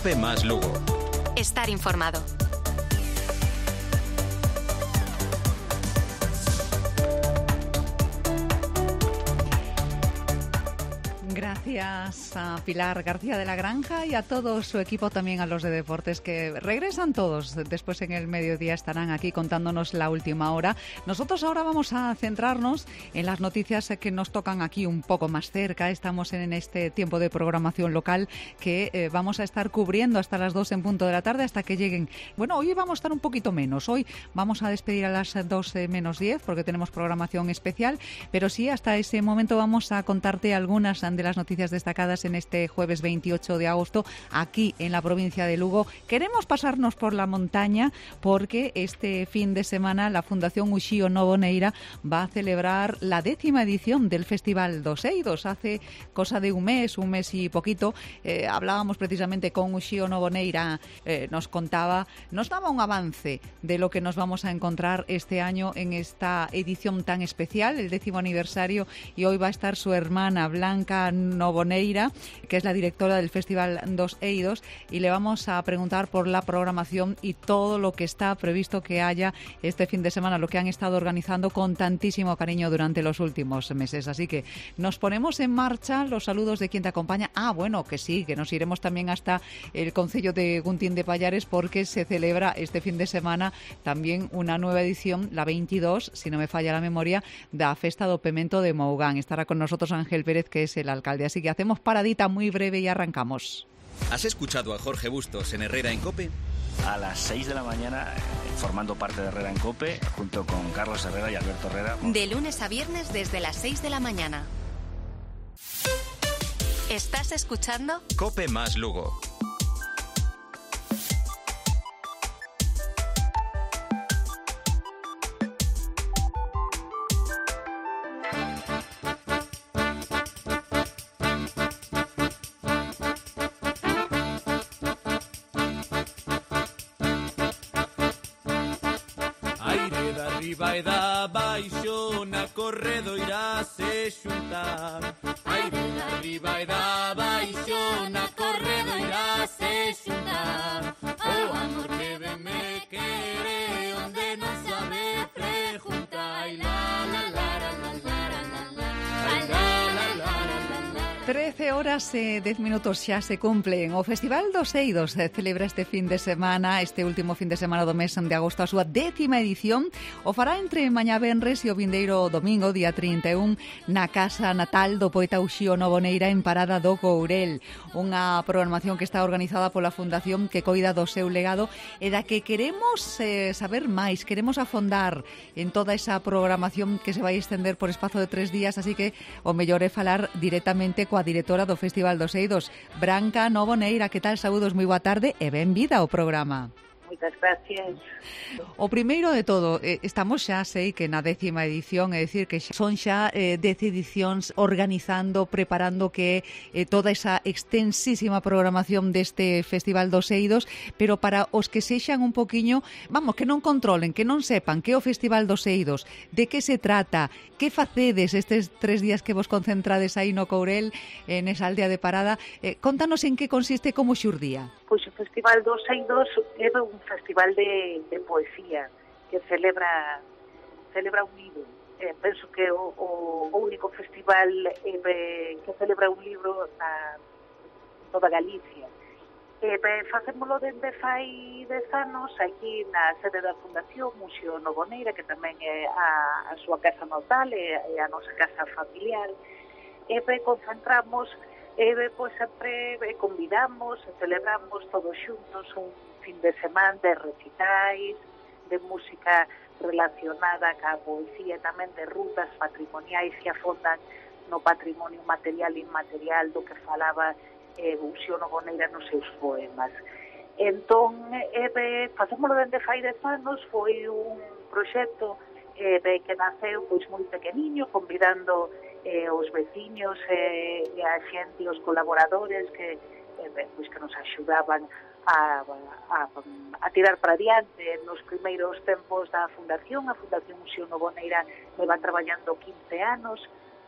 COPE más Lugo. Estar informado. Gracias a Pilar García de la Granja y a todo su equipo, también a los de deportes, que regresan todos. Después en el mediodía estarán aquí contándonos la última hora. Nosotros ahora vamos a centrarnos en las noticias que nos tocan aquí un poco más cerca. Estamos en este tiempo de programación local que vamos a estar cubriendo hasta las 2 en punto de la tarde, hasta que lleguen. Bueno, hoy vamos a estar un poquito menos. Hoy vamos a despedir a las 12 menos 10 porque tenemos programación especial, pero sí, hasta ese momento vamos a contarte algunas de las noticias destacadas en este jueves 28 de agosto aquí en la provincia de Lugo. Queremos pasarnos por la montaña porque este fin de semana la Fundación Uxío Novoneira va a celebrar la 10ª edición del Festival dos Eidos. Hace cosa de un mes y poquito, hablábamos precisamente con Uxío Novoneira, nos daba un avance de lo que nos vamos a encontrar este año en esta edición tan especial, el 10º aniversario, y hoy va a estar su hermana Blanca Novoneira, que es la directora del Festival dos Eidos, y le vamos a preguntar por la programación y todo lo que está previsto que haya este fin de semana, lo que han estado organizando con tantísimo cariño durante los últimos meses. Así que nos ponemos en marcha. Los saludos de quien te acompaña. Bueno, que sí, que nos iremos también hasta el concello de Guntín de Pallares, porque se celebra este fin de semana también una nueva edición, la 22, si no me falla la memoria, da Festa do Pemento de Mougán. Estará con nosotros Ángel Pérez, que es el alcalde. Así que hacemos paradita muy breve y arrancamos. ¿Has escuchado a Jorge Bustos en Herrera en COPE? A las 6 de la mañana, formando parte de Herrera en COPE, junto con Carlos Herrera y Alberto Herrera. De lunes a viernes desde las 6 de la mañana. ¿Estás escuchando? COPE más Lugo. Arriba e da baixo na corredoira se xuntar. Aire da arriba e da baixo na corredoira se xuntar. O amor que ven me quere onde non sabe preguntar. Ai la la la la la la la. Ai la la la la la. 13 horas e 10 minutos xa se cumplen. O Festival dos Eidos celebra este fin de semana, este último fin de semana do mes de agosto, a súa 10ª edición. O fará entre mañá venres e o vindeiro domingo, día 31, na casa natal do poeta Uxío Novoneira en Parada do Courel. Unha programación que está organizada pola Fundación que coida do seu legado e da que queremos saber máis, queremos afondar en toda esa programación que se vai extender por espazo de 3 días, así que o mellor é falar directamente coa directora do Festival dos Eidos, Blanca Novoneira. Que tal? Saúdos, moi boa tarde e benvida ao programa. Moitas gracias. O primeiro de todo, estamos xa, sei que na 10ª edición, é dicir, que son xa 10 edicións organizando, preparando que toda esa extensísima programación deste Festival dos Eidos, pero para os que sexan un poquiño, vamos, que non controlen, que non sepan que é o Festival dos Eidos, de que se trata, que facedes estes 3 días que vos concentrades aí no Courel, nesa aldea de Parada, contanos en que consiste, como xurdía. Pois o Festival dos Eidos é un festival de poesía que celebra un libro. Penso que o único festival que celebra un libro na toda Galicia. Facémolo dende fai 10 anos aquí na sede da Fundación Uxío Novoneira, que tamén é a súa casa natal, é a nosa casa familiar. Concentramos, pois sempre convidamos e celebramos todos xuntos un fin de semana de recitais, de música relacionada ca poesía, tamén de rutas patrimoniais que afondan no patrimonio material e inmaterial do que falaba Uxío Novoneira nos seus poemas. Entón, facémolo dende fai 10 anos, foi un proxecto que naceu pois moi pequeniño, convidando os veciños e a xente, os colaboradores que nos axudaban a tirar para diante nos primeiros tempos da Fundación. A Fundación Uxío Novoneira leva traballando 15 anos,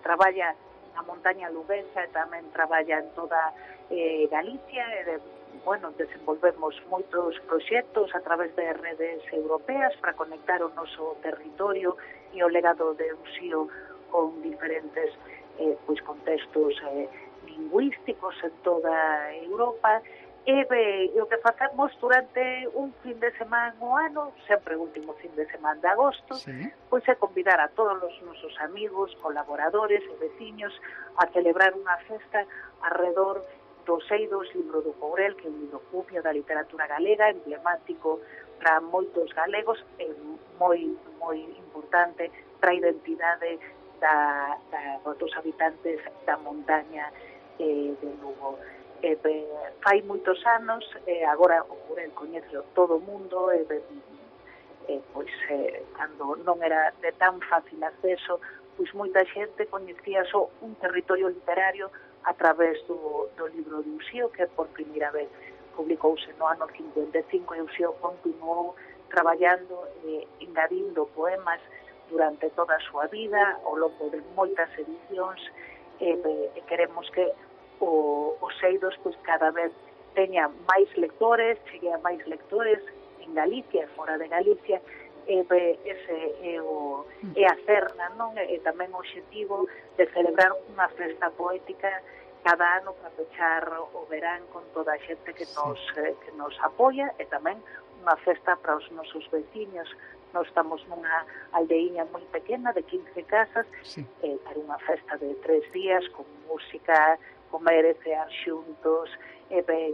traballa na montaña luguesa e tamén traballa en toda Galicia e desenvolvemos moitos proxectos a través de redes europeas para conectar o noso territorio e o legado de Uxío con diferentes contextos lingüísticos en toda Europa. E o que facemos durante un fin de semana o ano, sempre o último fin de semana de agosto, pois é convidar a todos os nosos amigos, colaboradores e veciños a celebrar unha festa alrededor dos Eidos, libro do Courel, que é un libro cumio da literatura galega, emblemático para moitos galegos, e moi importante para a identidade dos habitantes da montaña de Lugo. Fai moitos anos, agora o Courel coñece todo o mundo, cando non era de tan fácil acceso, pois moita xente coñecía só un territorio literario a través do libro de Uxío, que por primeira vez publicouse no ano 55, e Uxío continuou traballando e engadindo poemas durante toda a súa vida, ao longo de moitas edicións, e queremos que os Eidos pois cada vez teña máis lectores, chegue a máis lectores en Galicia e fora de Galicia, ese é a cerna, non? E tamén o obxectivo de celebrar unha festa poética cada ano para pechar o verán con toda a xente que nos apoia, e tamén unha festa para os nosos veciños. Nós estamos nunha aldeiña moi pequena de 15 casas, para unha festa de 3 días con música, comer e cear xuntos,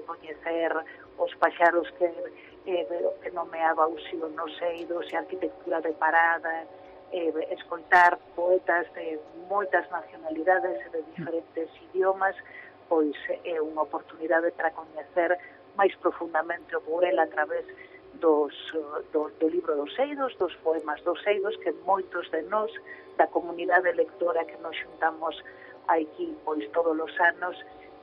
coñecer os paxaros que nomeaba Uxío nos Eidos, e arquitectura de parada, escoitar poetas de moitas nacionalidades e de diferentes idiomas, pois é unha oportunidade para coñecer máis profundamente o Courel a través do libro dos Eidos, dos poemas dos Eidos, que moitos de nós, da comunidade lectora que nos xuntamos aquí pois todos os anos,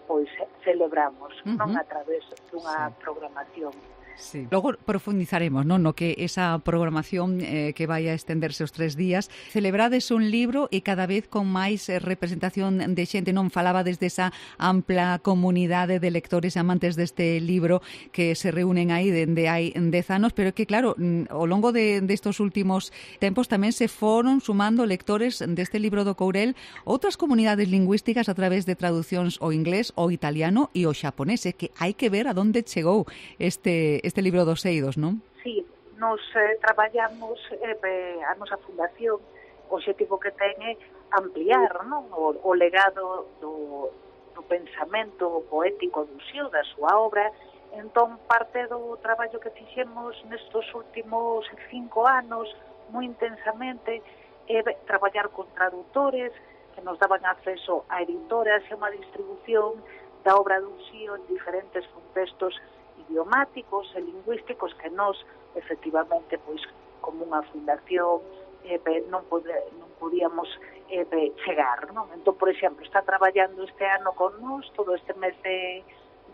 pois celebramos, non a través dunha programación. Sí. Logo profundizaremos, non, no que esa programación que vai a estenderse os 3 días. Celebrades un libro e cada vez con máis representación de xente, non? Falaba desde esa ampla comunidade de lectores e amantes deste libro que se reúnen aí dende hai 10 anos, pero que claro, ao longo destos últimos tempos tamén se foron sumando lectores deste libro do Courel outras comunidades lingüísticas a través de traducións ao inglés, ao italiano e ao xaponés, que hai que ver a donde chegou este libro dos Eidos, non? Sí, nos traballamos a nosa fundación, o objetivo que ten é ampliar, non, o legado do pensamento poético do Uxío, da súa obra. Entón, parte do traballo que fixemos nestos últimos 5 anos, moi intensamente, é traballar con traductores que nos daban acceso a editoras e unha distribución da obra do Uxío en diferentes contextos idiomáticos e lingüísticos que nós, efectivamente, pois, como unha fundación, non podíamos chegar, non? Entón, por exemplo, está traballando este ano con nós todo este mes de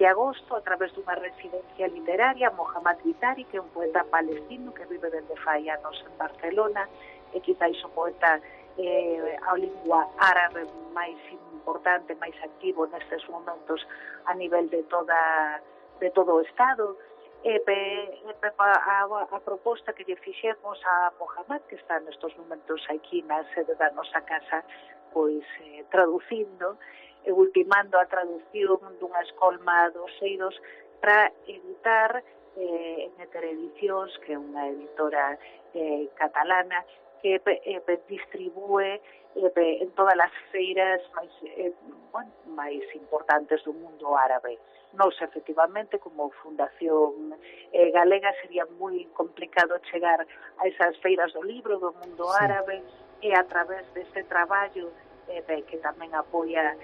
agosto a través dunha residencia literaria, Mohammad Vitari, que é un poeta palestino que vive desde fai anos en Barcelona, e quizáis o poeta a lingua árabe máis importante, máis activo nestes momentos a nivel de todo o Estado. A proposta que lle fixemos a Mohammad, que está nestes momentos aquí na sede da nosa casa, pois traducindo e ultimando a traducción dunha escolma dos Eidos para editar Meter Edicións, que é unha editora catalana que distribúe en todas as feiras máis importantes do mundo árabe. Nos, efectivamente, como fundación galega, sería moi complicado chegar a esas feiras do libro do mundo árabe, e a través deste traballo que tamén apoia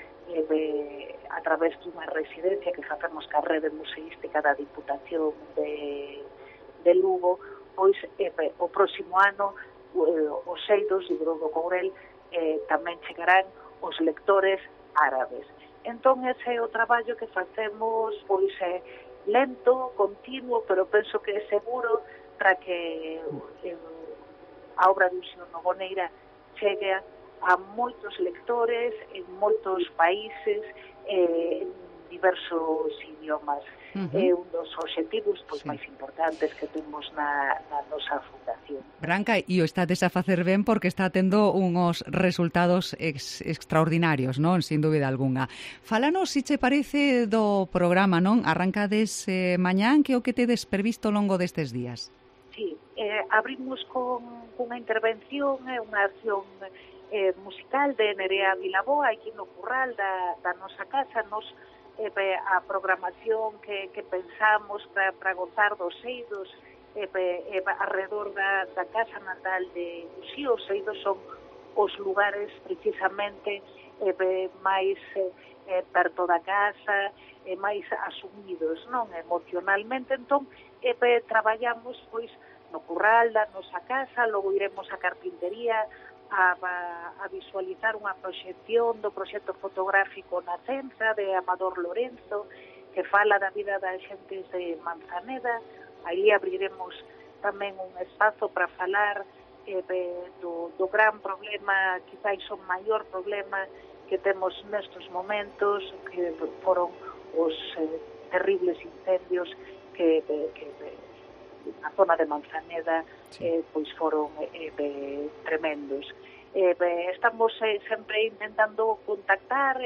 a través dunha residencia que facemos ca rede museística da Diputación de Lugo, pois o próximo ano os Eidos, libro do Courel, tamén chegarán os lectores árabes. Entón, ese é o traballo que facemos, pois, lento, continuo, pero penso que é seguro para que a obra de Uxío Nogueira chegue a moitos lectores en moitos países, en diversos idiomas. É un dos obxectivos máis importantes que temos na nosa fundación. Branca, e o estades a facer ben porque está tendo unhos resultados extraordinarios, non? Sin dúbida algunha. Fálanos, se che parece, do programa, non? Arrancades mañán, que o que tedes previsto ao longo destes días? Sí, abrimos con unha intervención, unha acción musical de Nerea Vilaboa, aquí no Curral da nosa casa. Nos a programación que pensamos para gozar dos eidos alrededor da casa natal de Uxío. Os eidos son os lugares precisamente máis perto da casa, máis asumidos, non, emocionalmente. Entón, traballamos pois no Curral da nosa casa, logo iremos á carpintería a visualizar unha proxección do proxecto fotográfico na Cenza de Amador Lorenzo, que fala da vida das xentes de Manzaneda. Aí abriremos tamén un espazo para falar do gran problema, quizáis o maior problema que temos nestes momentos, que foron os terribles incendios que na zona de Manzaneda pois foron tremendos. Estamos sempre intentando contactar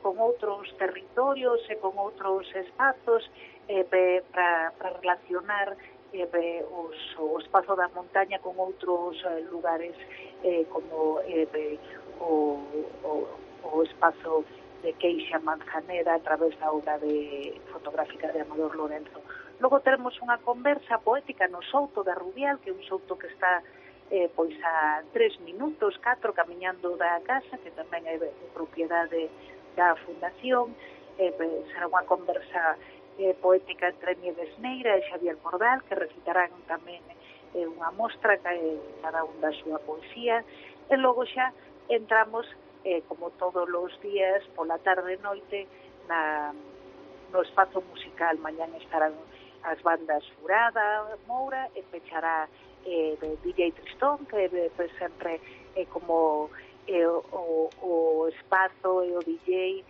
con outros territorios e con outros espazos para relacionar o espazo da montaña con outros lugares como o espazo de Queixa Manzaneda a través da obra fotográfica de Amador Lorenzo. Logo teremos unha conversa poética no Souto da Rubial, que é un souto que está pois a 3 minutos, 4, camiñando da casa, que tamén é propiedade da Fundación. Será unha conversa poética entre Nieves Neira e Xavier Cordal, que recitarán tamén unha mostra cada un da súa poesía. E logo xa entramos, como todos os días, pola tarde e noite, no espazo musical. Mañán estarán as bandas Furada, Moura, e pechará DJ Tristón, que sempre é como o espazo e o DJ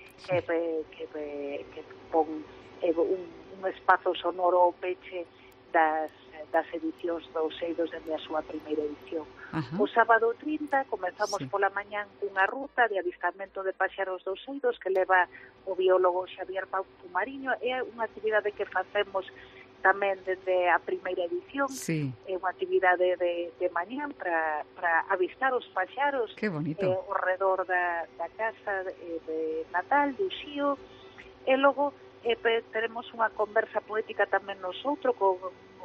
que pon un espazo sonoro ao peche das edicións dos eidos dende a súa primeira edición. O sábado 30 comenzamos pola mañán cunha ruta de avistamento de paxaros dos eidos que leva o biólogo Xavier Pau Mariño. É unha actividade que facemos tamén desde a primeira edición. É unha actividade de mañán para avistar os paxaros ao redor da casa de Natal, de Uxío. E logo teremos unha conversa poética tamén nosoutro con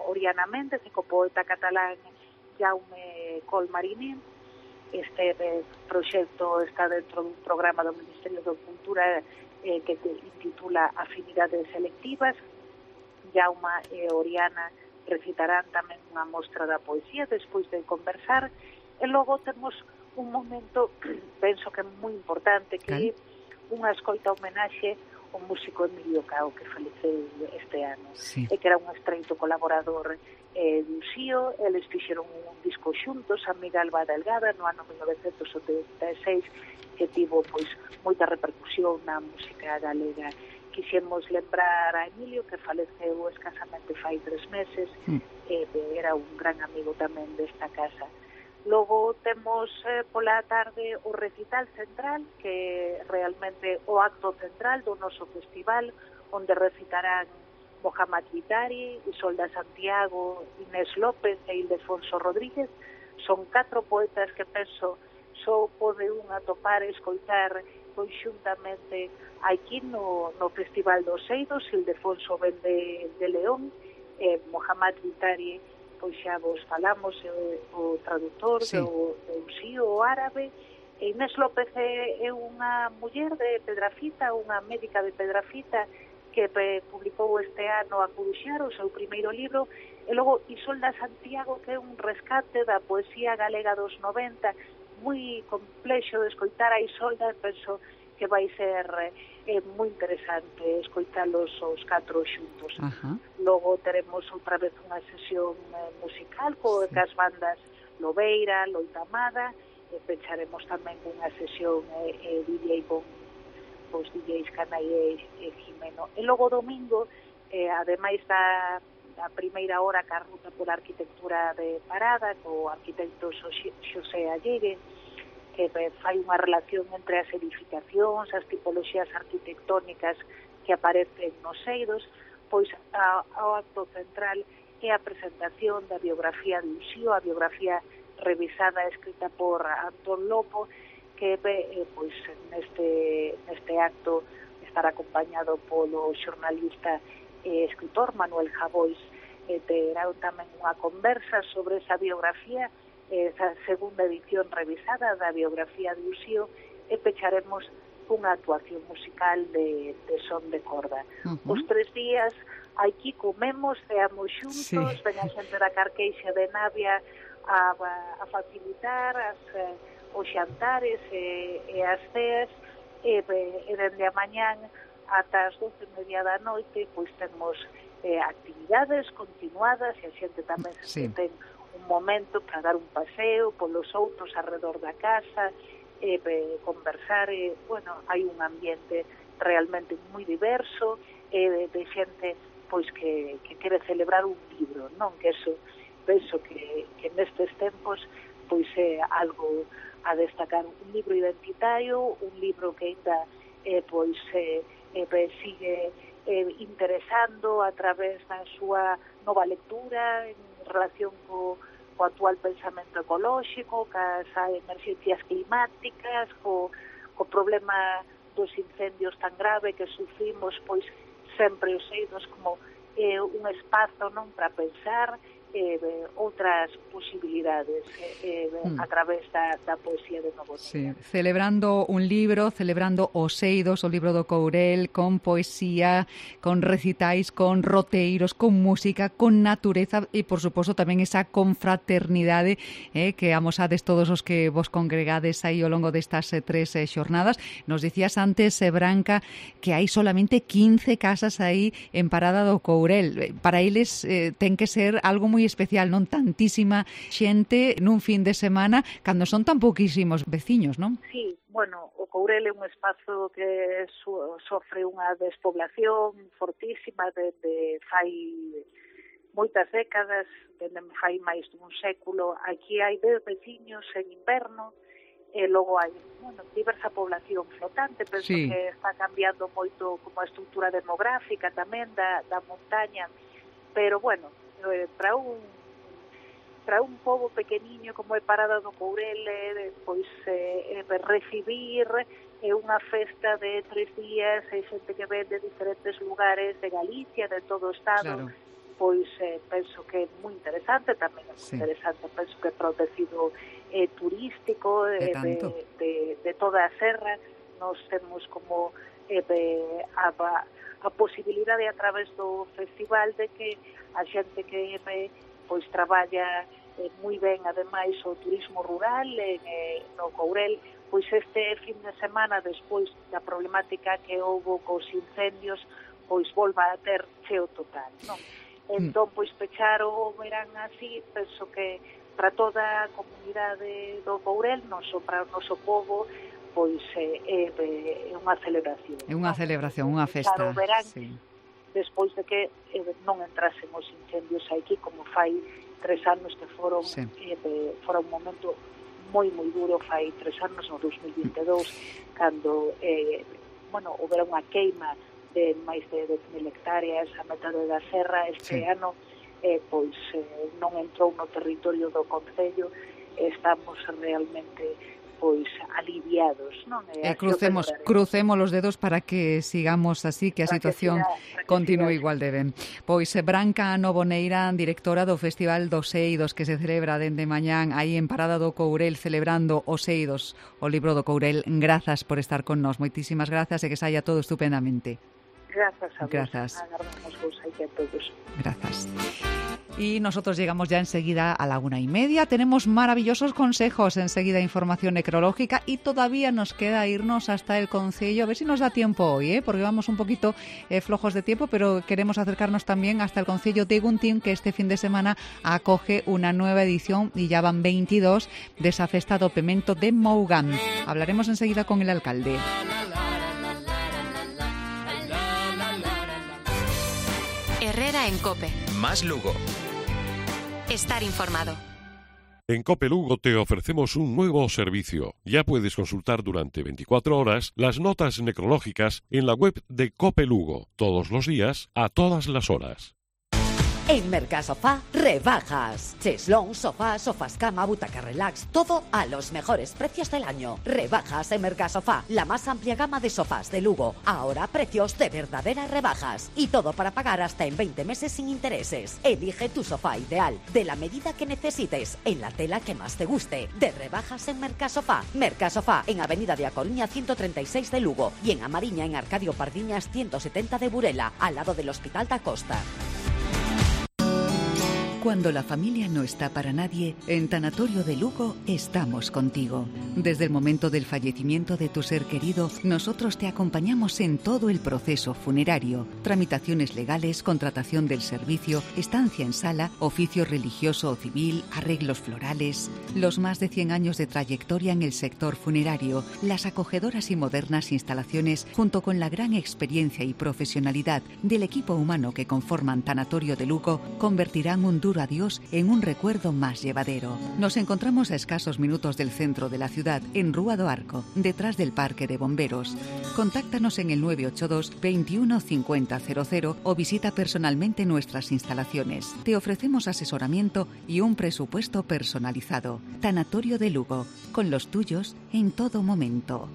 Oriana Méndez e co poeta catalán Jaume Colmariné. Este proxecto está dentro dun programa do Ministerio de Cultura que intitula Afinidades Selectivas. Jaume e Oriana recitarán tamén unha mostra da poesía despois de conversar. E logo temos un momento, penso que é moi importante, que é unha escoita homenaxe ao músico Emilio Cao, que faleceu este ano, e que era un estreito colaborador de Uxío. Eles fixeron un disco xuntos, Amiga Alba Delgada, no ano 1976, que tivo pois moita repercusión na música galega. Quixemos lembrar a Emilio, que faleceu escasamente fai 3 meses, era un gran amigo tamén desta casa. Logo temos pola tarde o recital central, que realmente o acto central do noso festival, onde recitarán Mohamed Vitari, Isolda Santiago, Inés López e Ildefonso Rodríguez. Son 4 poetas que penso só pode un atopar e escoitar conxuntamente aquí no Festival dos Eidos. Ildefonso ven de León, Mohamed Vitari, pois xa vos falamos, o traductor do Uxío, o árabe. Inés López é unha muller de Pedrafita, unha médica de Pedrafita, que publicou este ano a Curuxar, o seu primeiro libro. E logo Isolda Santiago, que é un rescate da poesía galega dos 90, moi complexo de escoitar a Isolda. Penso que vai ser moi interesante escoitalos os 4 xuntos. Logo teremos outra vez unha sesión musical coas bandas Lobeira, Loitamada, pecharemos tamén unha sesión DJ con os DJs Canai e Jimeno. E logo domingo, ademais da primeira hora ca ruta pola arquitectura de Parada, co arquitecto Xosé Allegue, que fai unha relación entre as edificacións, as tipoloxías arquitectónicas que aparecen nos eidos, pois ao acto central é a presentación da biografía de Uxío, a biografía revisada e escrita por Antón Lopo, que pois neste acto estará acompañado polo xornalista e escritor Manuel Javois. Terá tamén unha conversa sobre esa biografía, esa segunda edición revisada da biografía de Uxío, e pecharemos unha actuación musical de son de corda. Os 3 días aquí comemos, ceamos xuntos, ven a xente da Carqueixa de Navia a facilitar os xantares e as ceas, e dende a mañán ata as 12:30 da noite pois temos actividades continuadas, e a xente tamén se ten un momento para dar un paseo polos outros arredor da casa, conversar, bueno, hai un ambiente realmente moi diverso, de xente pois que quere celebrar un libro, non? Que eso penso que nestes tempos pois é algo a destacar, un libro identitario, un libro que ainda pois sigue interesando a través da súa nova lectura en relación co actual pensamento ecolóxico, cas emerxencias climáticas, co problema dos incendios tan grave que sufrimos, pois sempre os eidos como un espazo, non, para pensar outras posibilidades a través da poesía de Novo Neira. Celebrando un libro, celebrando os eidos, o libro do Courel, con poesía, con recitais, con roteiros, con música, con natureza e, por suposto, tamén esa confraternidade que amosades todos os que vos congregades aí ao longo destas 3 xornadas. Nos dicías antes, Branca, que hai solamente 15 casas aí en Parada do Courel. Para eles ten que ser algo moi especial, non? Tantísima xente nun fin de semana cando son tan pouquísimos veciños, non? Sí, bueno, o Courel é un espazo que sofre unha despoblación fortísima desde fai moitas décadas, desde fai máis dun século. Aquí hai 10 veciños en inverno, e logo hai, bueno, diversa población flotante. Penso que está cambiando moito como a estrutura demográfica tamén da montaña, pero bueno, para un pobo pequeniño como é Parada do Courel, pois recibir unha festa de 3 días, xente que ven de diferentes lugares de Galicia, de todo o estado, pois penso que é moi interesante, tamén é moi interesante, penso que é para o tecido turístico de toda a serra. Nos temos como a posibilidade a través do festival de que a xente que pois traballa moi ben, ademais, o turismo rural no Courel, pois este fin de semana, despois da problemática que houve cos incendios, pois volva a ter cheo total, non? Entón, pois pechar o verán así, penso que para toda a comunidade do Courel, non só para o noso povo, pois é unha celebración. É unha celebración, unha festa. Verán, despois de que non entrasen os incendios aquí, como fai 3 anos que foron un momento moi duro, fai 3 anos, no 2022, cando houbera unha queima de máis de 10.000 hectáreas a metade da serra. Este ano pois non entrou no territorio do concello. Estamos realmente pois aliviados, non? Crucemos os dedos para que sigamos así, que a situación continúe igual de ben. Pois Branca Novoneira, directora do Festival dos Eidos, que se celebra dende mañán aí en Parada do Courel, celebrando os Eidos, o libro do Courel. Grazas por estar con nós, moitísimas grazas, e que saia todo estupendamente. Grazas a vos. Grazas. Agardamos vos aí a todos. Gracias. Y nosotros llegamos ya enseguida a la 1:30. Tenemos maravillosos consejos, enseguida información necrológica y todavía nos queda irnos hasta el Concello. A ver si nos da tiempo hoy, porque vamos un poquito flojos de tiempo, pero queremos acercarnos también hasta el Concello de Guntín, que este fin de semana acoge una nueva edición y ya van 22 de esa festa do Pemento de Mougán. Hablaremos enseguida con el alcalde. Herrera en COPE. Más Lugo. Estar informado. En COPE Lugo te ofrecemos un nuevo servicio. Ya puedes consultar durante 24 horas las notas necrológicas en la web de COPE Lugo, todos los días, a todas las horas. En Mercasofá, rebajas. Cheslón, sofá, sofás cama, butaca relax, todo a los mejores precios del año. Rebajas en Mercasofá, la más amplia gama de sofás de Lugo. Ahora precios de verdaderas rebajas. Y todo para pagar hasta en 20 meses sin intereses. Elige tu sofá ideal, de la medida que necesites, en la tela que más te guste. De rebajas en Mercasofá. Mercasofá, en Avenida de A Coruña 136 de Lugo. Y en Amariña, en Arcadio Pardiñas 170 de Burela, al lado del Hospital da Costa. Cuando la familia no está para nadie, en Tanatorio de Lugo estamos contigo. Desde el momento del fallecimiento de tu ser querido, nosotros te acompañamos en todo el proceso funerario, tramitaciones legales, contratación del servicio, estancia en sala, oficio religioso o civil, arreglos florales. Los más de 100 años de trayectoria en el sector funerario, las acogedoras y modernas instalaciones, junto con la gran experiencia y profesionalidad del equipo humano que conforman Tanatorio de Lugo, convertirán un duro adiós en un recuerdo más llevadero. Nos encontramos a escasos minutos del centro de la ciudad, en Rúa do Arco, detrás del Parque de Bomberos. Contáctanos en el 982 21 50 00 o visita personalmente nuestras instalaciones. Te ofrecemos asesoramiento y un presupuesto personalizado. Tanatorio de Lugo, con los tuyos en todo momento.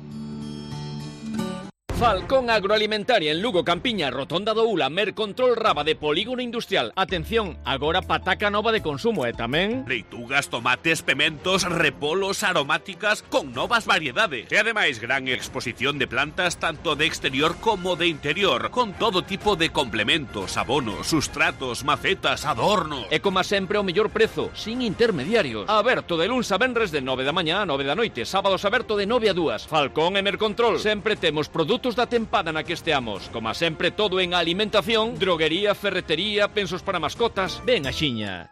Falcón Agroalimentaria en Lugo, Campiña, Rotonda do Ula, Mercontrol Raba de Polígono Industrial. Atención, agora pataca nova de consumo, tamén leitugas, tomates, pementos, repolos, aromáticas con novas variedades. E ademais gran exposición de plantas tanto de exterior como de interior, con todo tipo de complementos, abonos, sustratos, macetas, adornos. E como sempre o mellor prezo, sin intermediarios. Aberto de luns a venres de 9 da mañá a 9 da noite, sábados aberto de 9 a 2. Falcón e Mercontrol. Sempre temos produtos da tempada na que esteamos. Como sempre, todo en alimentación, droguería, ferretería, pensos para mascotas. Ven axiña.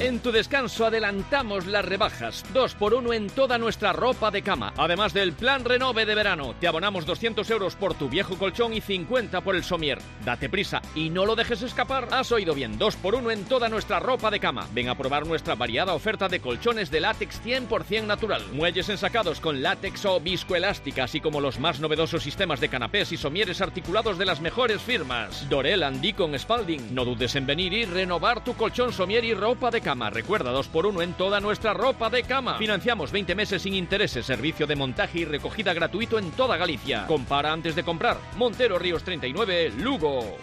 En tu descanso adelantamos las rebajas, 2x1 en toda nuestra ropa de cama. Además del plan Renove de verano, te abonamos 200 euros por tu viejo colchón y 50 por el somier. Date prisa y no lo dejes escapar. Has oído bien, 2x1 en toda nuestra ropa de cama. Ven a probar nuestra variada oferta de colchones de látex 100% natural. Muelles ensacados con látex o viscoelástica, así como los más novedosos sistemas de canapés y somieres articulados de las mejores firmas. Dorel, Andicon, Spalding. No dudes en venir y renovar tu colchón, somier y ropa de cama. Recuerda, 2x1 en toda nuestra ropa de cama. Financiamos 20 meses sin intereses, servicio de montaje y recogida gratuito en toda Galicia. Compara antes de comprar. Montero Ríos 39, Lugo.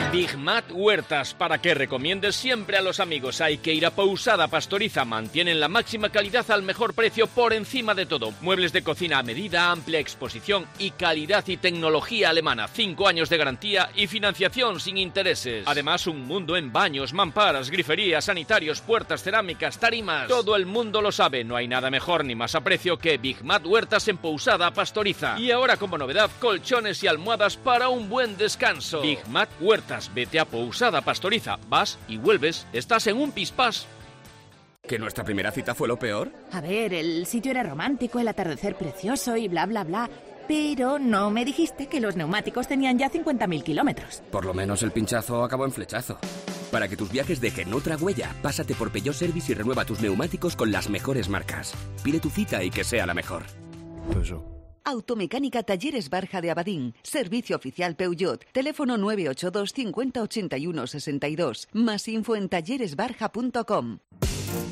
Big Mat Huertas, para que recomiendes siempre a los amigos. Hay que ir a Pousada Pastoriza. Mantienen la máxima calidad al mejor precio por encima de todo. Muebles de cocina a medida, amplia exposición y calidad y tecnología alemana. 5 años de garantía y financiación sin intereses. Además, un mundo en baños, mamparas, griferías, sanitarios, puertas, cerámicas, tarimas. Todo el mundo lo sabe. No hay nada mejor ni más a precio que Big Mat Huertas en Pousada Pastoriza. Y ahora, como novedad, colchones y almohadas para un buen descanso. Big Mat Huertas. Vete a Pousada Pastoriza, vas y vuelves, estás en un pispás. ¿Que nuestra primera cita fue lo peor? A ver, el sitio era romántico, el atardecer precioso y bla, bla, bla. Pero no me dijiste que los neumáticos tenían ya 50.000 kilómetros. Por lo menos el pinchazo acabó en flechazo. Para que tus viajes dejen otra huella, pásate por Peugeot Service y renueva tus neumáticos con las mejores marcas. Pide tu cita y que sea la mejor. Peugeot. Automecánica Talleres Barja de Abadín. Servicio oficial Peugeot. Teléfono 982 50 81 62. Más info en talleresbarja.com.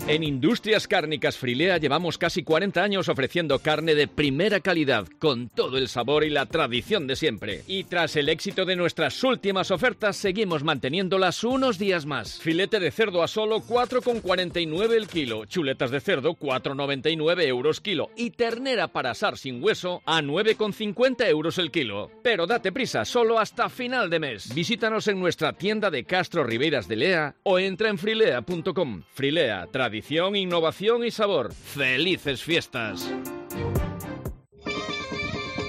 En Industrias Cárnicas Frilea llevamos casi 40 años ofreciendo carne de primera calidad, con todo el sabor y la tradición de siempre. Y tras el éxito de nuestras últimas ofertas, seguimos manteniéndolas unos días más. Filete de cerdo a solo 4,49 el kilo, chuletas de cerdo 4,99 euros kilo y ternera para asar sin hueso a 9,50 euros el kilo. Pero date prisa, solo hasta final de mes. Visítanos en nuestra tienda de Castro Ribeiras de Lea o entra en frilea.com. Frilea, tradición, innovación y sabor. ¡Felices fiestas!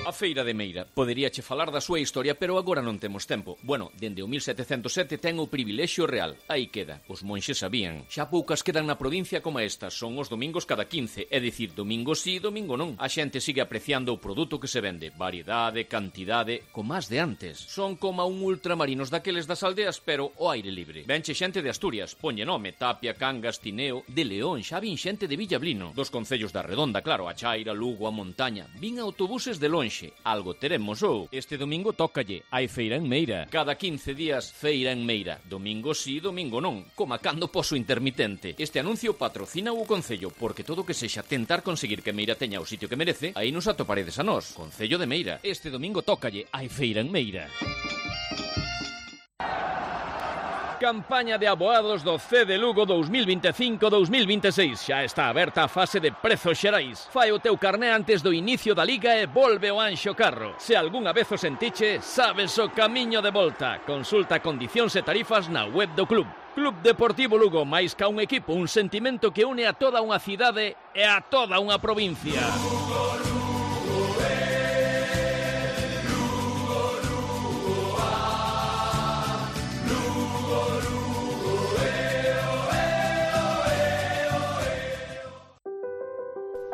A Feira de Meira. Poderíache falar da súa historia, pero agora non temos tempo. Bueno, dende o 1707 ten o privilexio real. Aí queda. Os monxes sabían. Xa poucas quedan na provincia como estas. Son os domingos cada 15. É dicir, domingo sí, domingo non. A xente sigue apreciando o produto que se vende. Variedade, cantidade, como as de antes. Son como un ultramarinos daqueles das aldeas, pero ao aire libre. Venche xente de Asturias. Poñe nome. Tapia, Cangas, Tineo. De León xa vin xente de Villablino. Dos concellos da Redonda, claro. A Chaira, Lugo, a Montaña. Vin autobuses de lonxe. Algo teremos ou. Este domingo tócalle. Hai feira en Meira. Cada 15 días, feira en Meira. Domingo sí, domingo non. Coma cando poso intermitente. Este anuncio patrocina o Concello, porque todo que sexa tentar conseguir que Meira teña o sitio que merece, aí nos atoparedes a nós. Concello de Meira. Este domingo tócalle. Hai feira en Meira. Campaña de aboados do C de Lugo 2025-2026. Xa está aberta a fase de prezos xerais. Fai o teu carné antes do inicio da Liga e volve o Anxo Carro. Se algunha vez o sentiche, sabes o camiño de volta. Consulta condicións e tarifas na web do club. Club Deportivo Lugo, máis ca un equipo, un sentimento que une a toda unha cidade e a toda unha provincia.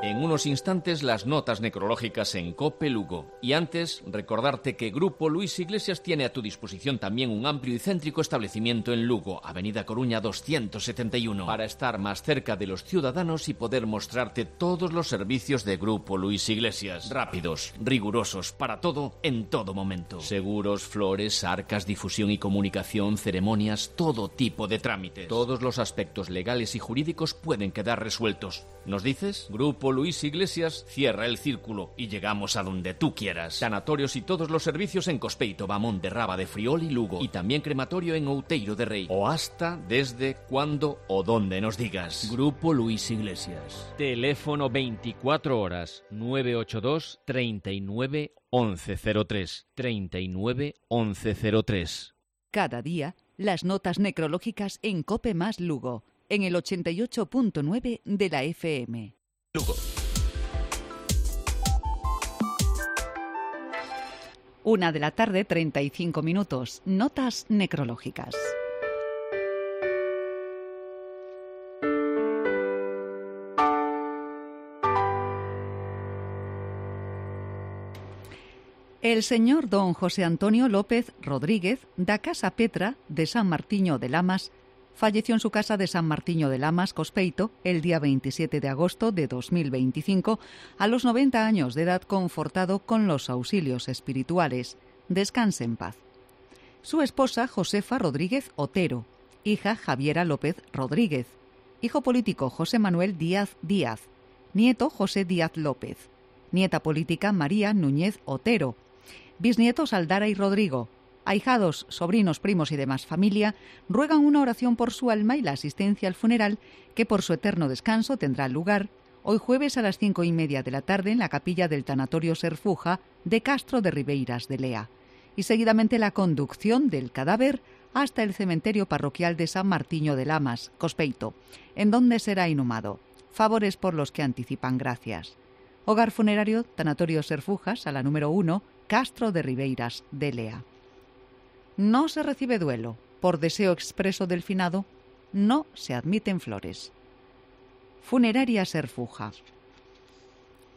En unos instantes las notas necrológicas en COPE Lugo. Y antes, recordarte que Grupo Luis Iglesias tiene a tu disposición también un amplio y céntrico establecimiento en Lugo, Avenida Coruña 271, para estar más cerca de los ciudadanos y poder mostrarte todos los servicios de Grupo Luis Iglesias. Rápidos, rigurosos, para todo, en todo momento. Seguros, flores, arcas, difusión y comunicación, ceremonias, todo tipo de trámites. Todos los aspectos legales y jurídicos pueden quedar resueltos. ¿Nos dices? Grupo Luis Iglesias cierra el círculo y llegamos a donde tú quieras. Sanatorios y todos los servicios en Cospeito, Bamón de Raba de Friol y Lugo. Y también crematorio en Outeiro de Rei. O hasta, desde, cuando o donde nos digas. Grupo Luis Iglesias. Teléfono 24 horas 982 39 1103. 39 1103. Cada día, las notas necrológicas en COPE más Lugo, en el 88.9 de la FM. Lugo. 1 de la tarde, 35 minutos. Notas necrológicas. El señor don José Antonio López Rodríguez, da Casa Petra de San Martiño de Lamas, falleció en su casa de San Martiño de Lamas, Cospeito, el día 27 de agosto de 2025, a los 90 años de edad, confortado con los auxilios espirituales. Descanse en paz. Su esposa, Josefa Rodríguez Otero, hija Javiera López Rodríguez, hijo político José Manuel Díaz Díaz, nieto José Díaz López, nieta política María Núñez Otero, bisnietos Aldara y Rodrigo. Ahijados, sobrinos, primos y demás familia ruegan una oración por su alma y la asistencia al funeral, que por su eterno descanso tendrá lugar hoy jueves a las 5:30 de la tarde en la capilla del Tanatorio Serfuja de Castro de Ribeiras de Lea, y seguidamente la conducción del cadáver hasta el cementerio parroquial de San Martiño de Lamas, Cospeito, en donde será inhumado. Favores por los que anticipan gracias. Hogar funerario Tanatorio Serfujas, a la número 1, Castro de Ribeiras de Lea. No se recibe duelo. Por deseo expreso del finado, no se admiten flores. Funeraria Serfuja.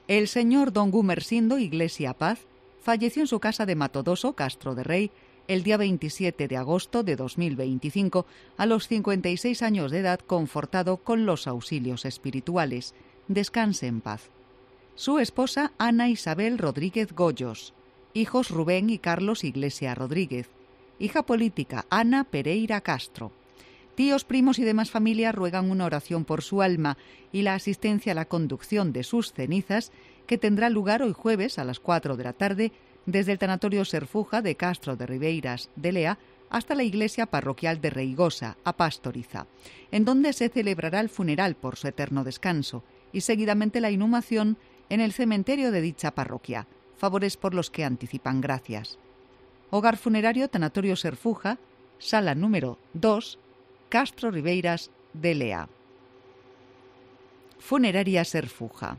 El señor don Gumersindo Iglesia Paz falleció en su casa de Matodoso, Castro de Rei, el día 27 de agosto de 2025, a los 56 años de edad, confortado con los auxilios espirituales. Descanse en paz. Su esposa Ana Isabel Rodríguez Goyos, hijos Rubén y Carlos Iglesia Rodríguez, hija política Ana Pereira Castro, Tíos, primos y demás familia ruegan una oración por su alma y la asistencia a la conducción de sus cenizas, que tendrá lugar hoy jueves a las 4 de la tarde desde el tanatorio Serfuja de Castro de Ribeiras de Lea hasta la iglesia parroquial de Reigosa, a Pastoriza, en donde se celebrará el funeral por su eterno descanso y seguidamente la inhumación en el cementerio de dicha parroquia, favores por los que anticipan gracias. Hogar funerario Tanatorio Serfuja, sala número 2, Castro Ribeiras de Lea. Funeraria Serfuja.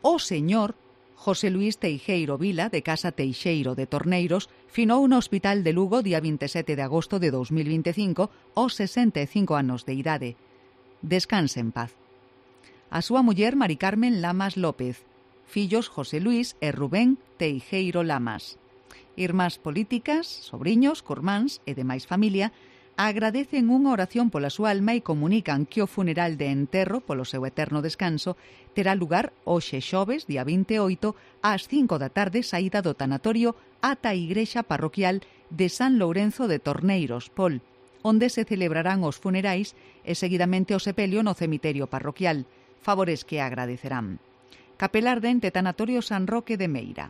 O señor José Luis Teixeiro Vila, de Casa Teixeiro de Torneiros, finou no Hospital de Lugo día 27 de agosto de 2025 aos 65 anos de idade. Descanse en paz. A súa muller Mari Carmen Lamas López, fillos José Luis e Rubén Teixeiro Lamas. Irmás políticas, sobriños, curmáns e demais familia agradecen unha oración pola súa alma e comunican que o funeral de enterro polo seu eterno descanso terá lugar hoxe xoves, día 28, ás 5 da tarde, saída do tanatorio ata a igrexa parroquial de San Lourenzo de Torneiros, Pol, onde se celebrarán os funerais e seguidamente o sepelio no cemiterio parroquial, favores que agradecerán. Capelar dente Tanatorio San Roque de Meira.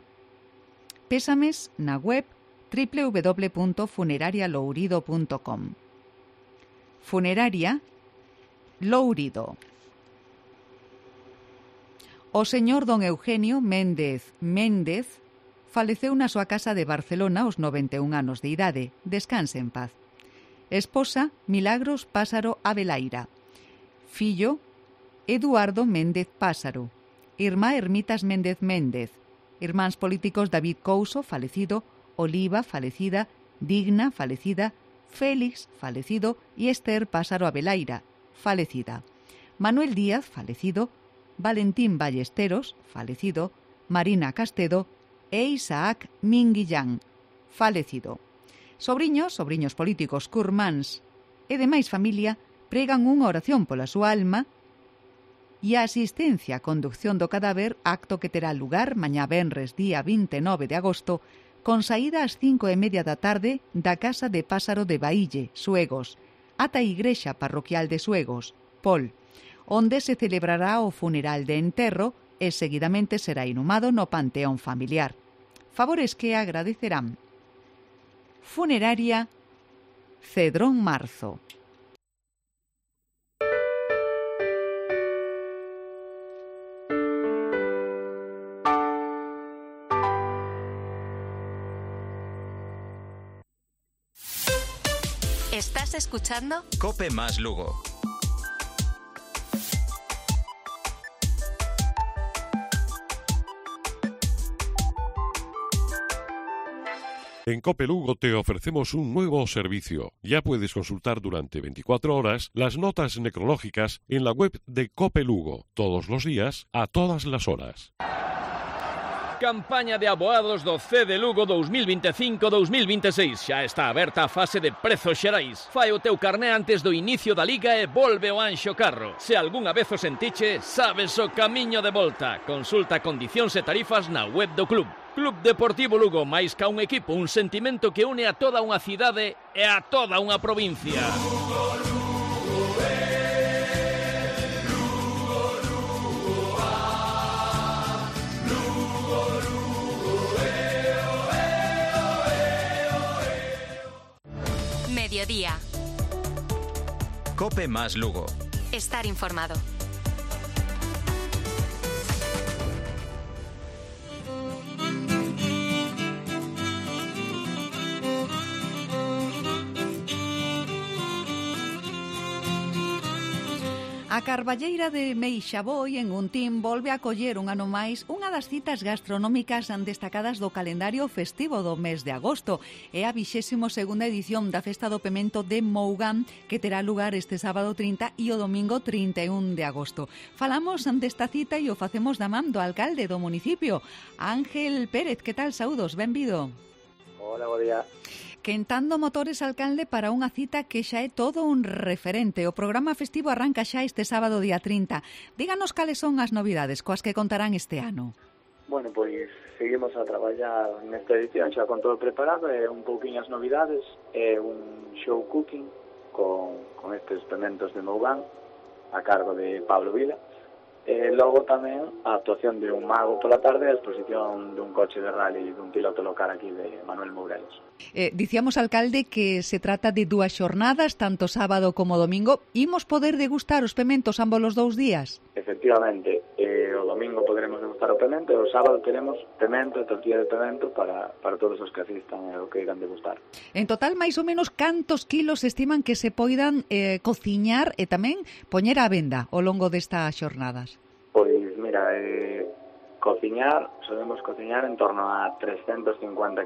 Pésames na web www.funerarialourido.com. Funeraria Lourido. O señor don Eugenio Méndez faleceu na súa casa de Barcelona aos 91 anos de idade. Descanse en paz. Esposa Milagros Pásaro Abelaira. Fillo Eduardo Méndez Pásaro. Irmá Ermitas Méndez Méndez. Irmáns políticos David Couso, falecido, Oliva, falecida, Digna, falecida, Félix, falecido, y Esther Pásaro Abelaira, falecida. Manuel Díaz, falecido, Valentín Ballesteros, falecido, Marina Castedo e Isaac Minguillán, falecido. Sobriños políticos, curmáns e demais familia pregan unha oración pola súa alma e a asistencia á conducción do cadáver, acto que terá lugar mañá venres día 29 de agosto, con saída ás 5:30 da tarde da Casa de Pásaro de Baille, Suegos, ata a igrexa parroquial de Suegos, Pol, onde se celebrará o funeral de enterro e seguidamente será inhumado no panteón familiar. Favores que agradecerán. Funeraria Cedrón Marzo. ¿Estás escuchando? Cope más Lugo. En Cope Lugo te ofrecemos un nuevo servicio. Ya puedes consultar durante 24 horas las notas necrológicas en la web de Cope Lugo, todos los días, a todas las horas. Campaña de aboados do C de Lugo 2025-2026. Xa está aberta a fase de prezos xerais. Fai o teu carné antes do inicio da Liga e volve o Anxo Carro. Se algunha vez o sentiche, sabes o camiño de volta. Consulta condicións e tarifas na web do club. Club Deportivo Lugo, máis ca un equipo, un sentimento que une a toda unha cidade e a toda unha provincia. Mediodía. Cope más Lugo. Estar informado. A Carballeira de Meixaboi, en Guntín, volve a coller un ano máis unha das citas gastronómicas destacadas do calendario festivo do mes de agosto. É a 22ª edición da Festa do Pemento de Mougán, que terá lugar este sábado 30 e o domingo 31 de agosto. Falamos desta cita e o facemos da man do alcalde do municipio, Ángel Pérez. Que tal? Saúdos, benvido. Hola, bo día. Quentando motores, alcalde, para unha cita que xa é todo un referente. O programa festivo arranca xa este sábado día 30. Díganos cales son as novidades coas que contarán este ano. Bueno, pois seguimos a traballar nesta edición xa con todo preparado, un pouquinho as novidades, un show cooking con estes pementos de Mougán a cargo de Pablo Vila. Logo tamén a actuación de un mago pola tarde e a exposición dun coche de rally dun piloto local aquí de Manuel Mourelos. Dicíamos, alcalde, que se trata de 2 xornadas, tanto sábado como domingo. Imos poder degustar os pementos ambos os 2 días? Efectivamente, o domingo poderemos degustar o pemento e o sábado teremos pemento e tortilla de pemento para todos os que asistan e o que irán degustar. En total, máis ou menos, cantos kilos estiman que se poidan cociñar e tamén poñer á venda ao longo destas xornadas? Pois, mira, cociñar, solemos cociñar en torno a 350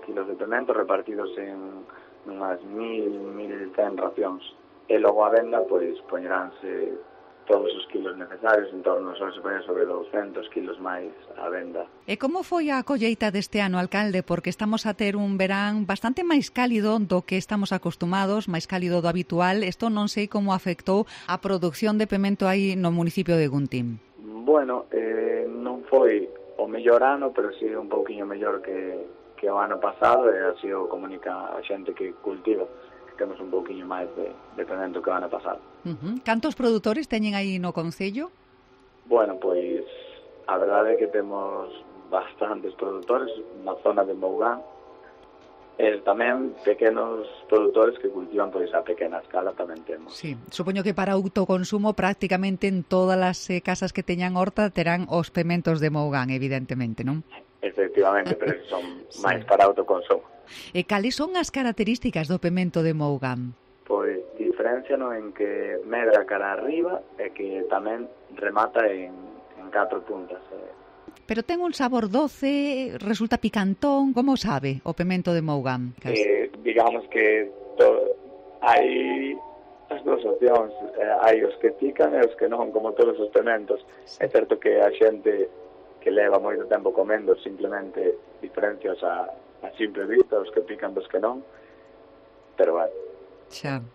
kilos de pemento repartidos en unhas 1.100 racións. E logo a venda, pois, poñeránse todos os kilos necesarios, en torno, se poñer sobre 200 kilos máis a venda. E como foi a colleita deste ano, alcalde? Porque estamos a ter un verán bastante máis cálido do que estamos acostumados, máis cálido do habitual. Isto non sei como afectou a produción de pemento aí no municipio de Guntín. Bueno, non foi o mellor ano, pero sí un pouquiño mellor que o ano pasado, e así o comunica a xente que cultiva, que temos un pouquiño máis de pemento que o ano pasado. Cantos produtores teñen aí no concello? Bueno, pois a verdade é que temos bastantes produtores na zona de Mougán, e tamén pequenos produtores que cultivan pois a pequena escala tamén temos. Sí, supoño que para autoconsumo prácticamente en todas as casas que teñan horta terán os pementos de Mougán, evidentemente, non? Efectivamente, pero son máis para autoconsumo. E cales son as características do pemento de Mougán? Pois diferenciano en que medra cara arriba e que tamén remata en 4 puntas. Pero ten un sabor doce, resulta picantón, como sabe o pemento de Mougán? Digamos que hai as dúas opcións, hai os que pican e os que non, como todos os pementos. É certo que a xente que leva moito tempo comendo simplemente diferencias a simple vista, os que pican dos que non, pero bueno,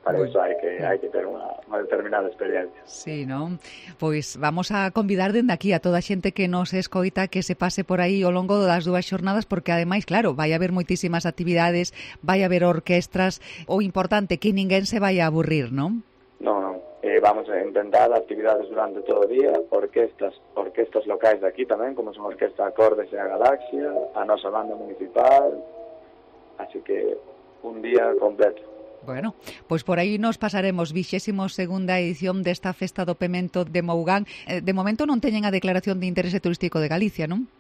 para iso hai que ter unha determinada experiencia. Sí, non? Pois vamos a convidar dende aquí a toda a xente que nos escoita que se pase por aí ao longo das 2 xornadas, porque ademais, claro, vai haber moitísimas actividades, vai haber orquestras, o importante que ninguén se vai a aburrir, non? Non, vamos a intentar actividades durante todo o día, orquestas locais de aquí tamén, como son a Orquesta Acordes e a Galaxia, a nosa banda municipal, así que un día completo. Bueno, pois por aí nos pasaremos 22ª edición desta Festa do Pemento de Mougán. De momento non teñen a declaración de interese turístico de Galicia, non?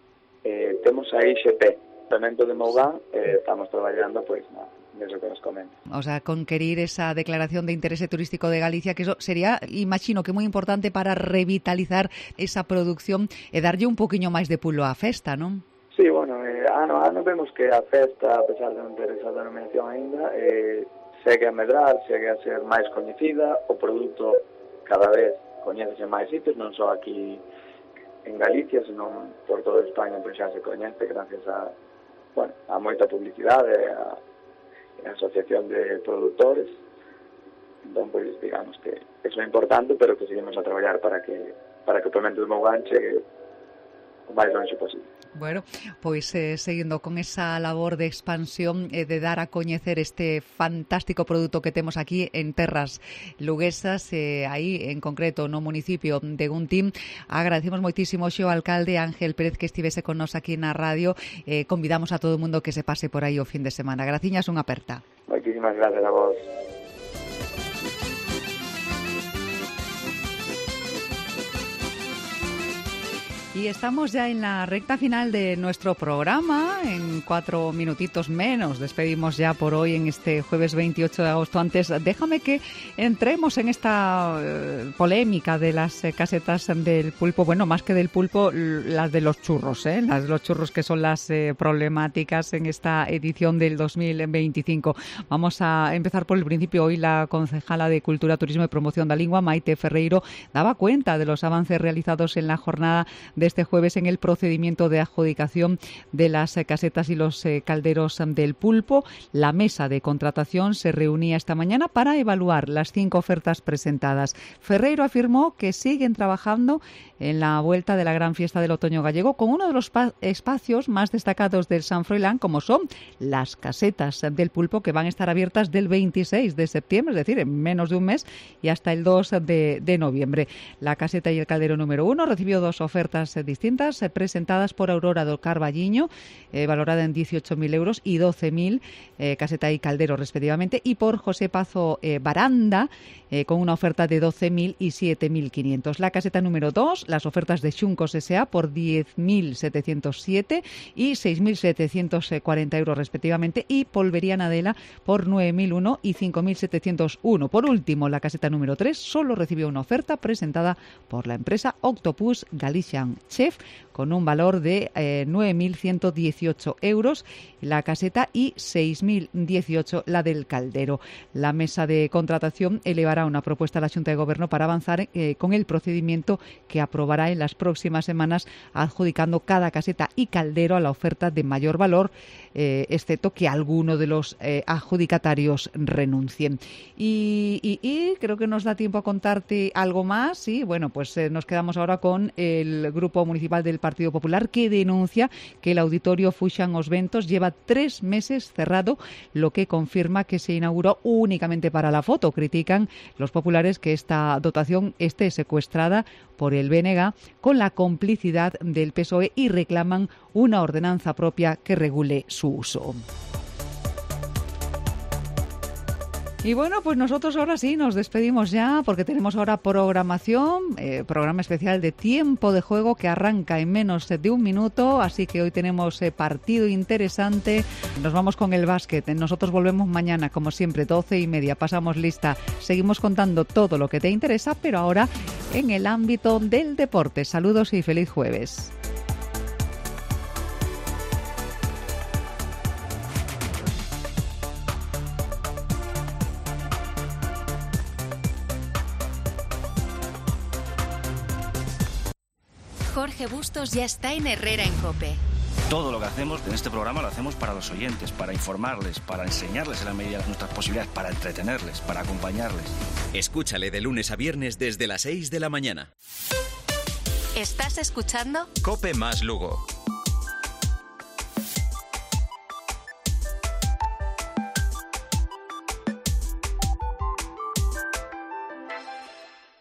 Temos a IXP, Pemento de Mougán, estamos traballando pois neso que nos comenta. O sea, conquerir esa declaración de interese turístico de Galicia, que eso sería, imagino que moi importante para revitalizar esa producción e darlle un poquinho máis de pulo á festa, non? Sí, bueno, ano a ano vemos que a festa, a pesar de non ter esa denominación aínda, segue a medrar, segue a ser máis coñecida, o produto cada vez coñécese máis sitios, non só aquí en Galicia, senón por toda España, pois xa se coñece gracias a moita publicidade, a asociación de produtores. Entón, pois, digamos que eso é importante, pero que seguimos a traballar para que o pemento de Mougán chegue o máis longe posible. Bueno, pois seguindo con esa labor de expansión e de dar a coñecer este fantástico produto que temos aquí en terras luguesas, aí en concreto no municipio de Guntín, agradecemos moitísimo ao alcalde Ángel Pérez que estivese con nos aquí na radio. Convidamos a todo o mundo que se pase por aí o fin de semana. Graciñas, unha aperta. Moitísimas gracias a vos. Y estamos ya en la recta final de nuestro programa, en 4 minutitos menos. Despedimos ya por hoy en este jueves 28 de agosto. Antes, déjame que entremos en esta polémica de las casetas del pulpo. Bueno, más que del pulpo, las de los churros, las de los churros que son las problemáticas en esta edición del 2025. Vamos a empezar por el principio. Hoy la concejala de Cultura, Turismo y Promoción da Lingua, Maite Ferreiro, daba cuenta de los avances realizados en la jornada de este jueves en el procedimiento de adjudicación de las casetas y los calderos del pulpo. La mesa de contratación se reunía esta mañana para evaluar las 5 ofertas presentadas. Ferreiro afirmó que siguen trabajando en la vuelta de la gran fiesta del otoño gallego con uno de los espacios más destacados del San Froilán, como son las casetas del pulpo, que van a estar abiertas del 26 de septiembre, es decir, en menos de un mes, y hasta el 2 de noviembre. La caseta y el caldero número 1 recibió 2 ofertas distintas presentadas por Aurora do Carballiño, valorada en 18.000 euros y 12.000, caseta y caldero respectivamente, y por José Pazo Baranda, con una oferta de 12.000 y 7.500. La caseta número 2, las ofertas de Xuncos S.A. por 10.707 y 6.740 euros respectivamente, y Polvería Nadela por 9.001 y 5.701. Por último, la caseta número 3 solo recibió una oferta presentada por la empresa Octopus Galician Chef con un valor de 9.118 euros la caseta y 6.018 la del caldero. La mesa de contratación elevará una propuesta a la Xunta de Gobierno para avanzar con el procedimiento que aprobará en las próximas semanas, adjudicando cada caseta y caldero a la oferta de mayor valor, excepto que alguno de los adjudicatarios renuncien. Y creo que nos da tiempo a contarte algo más. Sí, bueno, pues nos quedamos ahora con el Grupo Municipal del Partido Popular, que denuncia que el auditorio Fuxan Os Ventos lleva 3 meses cerrado, lo que confirma que se inauguró únicamente para la foto. Critican los populares que esta dotación esté secuestrada por el BNG con la complicidad del PSOE y reclaman una ordenanza propia que regule su uso. Y bueno, pues nosotros ahora sí nos despedimos ya, porque tenemos ahora programación, programa especial de Tiempo de Juego que arranca en menos de un minuto, así que hoy tenemos partido interesante. Nos vamos con el básquet. Nosotros volvemos mañana, como siempre, 12:30. Pasamos lista. Seguimos contando todo lo que te interesa, pero ahora en el ámbito del deporte. Saludos y feliz jueves. Jorge Bustos ya está en Herrera en COPE. Todo lo que hacemos en este programa lo hacemos para los oyentes, para informarles, para enseñarles en la medida de nuestras posibilidades, para entretenerles, para acompañarles. Escúchale de lunes a viernes desde las 6 de la mañana. ¿Estás escuchando? COPE más Lugo.